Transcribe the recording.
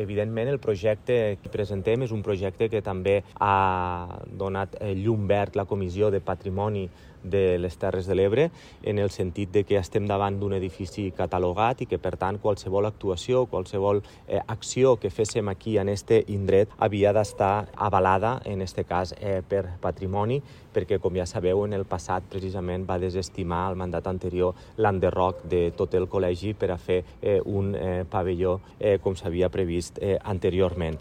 Evidentment, el projecte que presentem és un projecte que també ha donat llum verd la Comissió de Patrimoni de les Terres de l'Ebre, en el sentit de que estem davant d'un edifici catalogat i que, per tant, qualsevol actuació, qualsevol acció que féssim aquí en este indret havia d'estar avalada, en este cas, per patrimoni, perquè, com ja sabeu, en el passat precisament va desestimar el mandat anterior l'enderroc de tot el col·legi per a fer un pavelló com s'havia previst anteriorment.